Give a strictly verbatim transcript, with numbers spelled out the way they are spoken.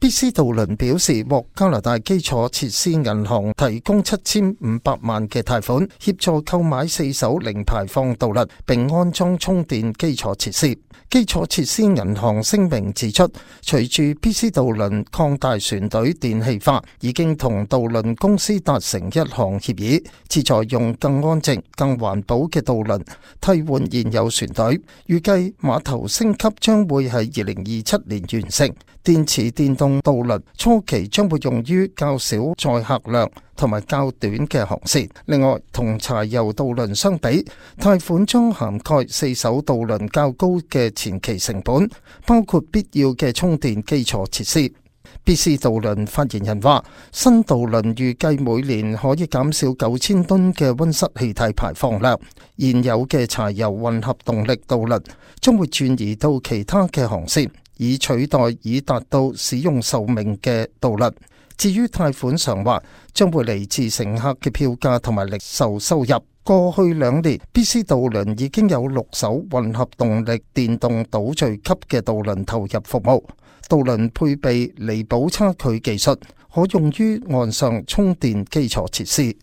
B C 渡輪表示，獲加拿大基礎設施銀行提供七千五百萬嘅貸款，協助購買四艘零排放渡輪，並安裝充電基礎設施。基礎設施銀行聲明指出，隨住 B C 渡輪擴大船隊電氣化，已經同渡輪公司達成一項協議，旨在用更安靜、更環保嘅渡輪替換現有船隊。預計碼頭升級將會喺二零二七年完成。電池電動渡輪初期將會用於較少載客量同埋較短嘅航線。另外，同柴油渡輪相比，貸款將涵蓋四艘渡輪較高嘅前期成本，包括必要嘅充電基礎設施。B C 渡輪發言人話，新渡輪預計每年可以減少九千噸嘅溫室氣體排放量。現有嘅柴油混合動力渡輪將會轉移到其他嘅航線，以取代已達到使用壽命嘅渡輪。至於貸款償還，將會嚟自乘客嘅票價同埋零售收入。過去兩年 ，B C 渡輪已經有六艘混合動力電動島嶼級嘅渡輪投入服務。渡輪配備彌補差距技術，可用於岸上充電基礎設施。